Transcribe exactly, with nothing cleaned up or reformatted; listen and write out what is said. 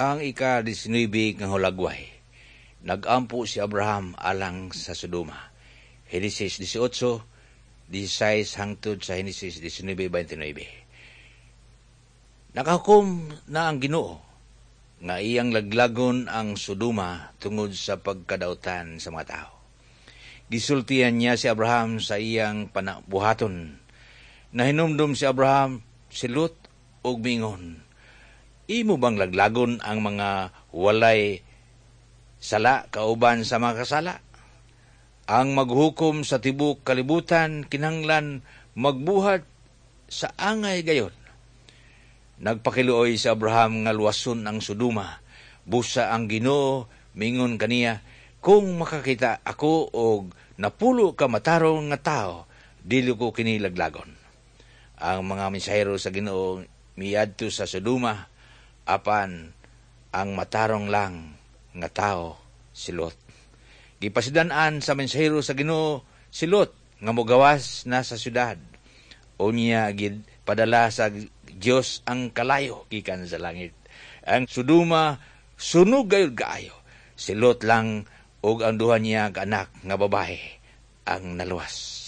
Ang ika-disnuebe nga hulagway. Nagampo si Abraham alang sa Sodoma. Henesis eighteen, sixteen hangtod sa Henesis nineteen, twenty-nine. Nakahukom na ang Ginoo nga iyang laglagon ang Sodoma tungod sa pagkadautan sa mga tao. Gisultihan niya si Abraham sa iyang panabuhaton. Nahinumdum si Abraham si Lot ug mingon, "Imo bang laglagon ang mga walay sala kauban sa mga kasala? Ang maghukom sa tibok kalibutan kinahanglan magbuhat sa angay gayon." Nagpakiluoy si Abraham nga luwason ang Sodoma. Busa ang Ginoo mingon kaniya, "Kung makakita ako og napulo ka matarong nga tao, dili ko kini laglagon." Ang mga mensahero sa Ginoo miadto sa Sodoma, apan ang matarong lang nga tao si Lot. Gipasidan-an sa mensahero sa Ginoo si Lot nga mogawas na sa syudad. Unya gid padala sa Dios ang kalayo gikan sa langit. Ang Sodoma sunog gayud kaayo. Si Lot lang ug ang duha niya ka anak nga babae ang naluwas.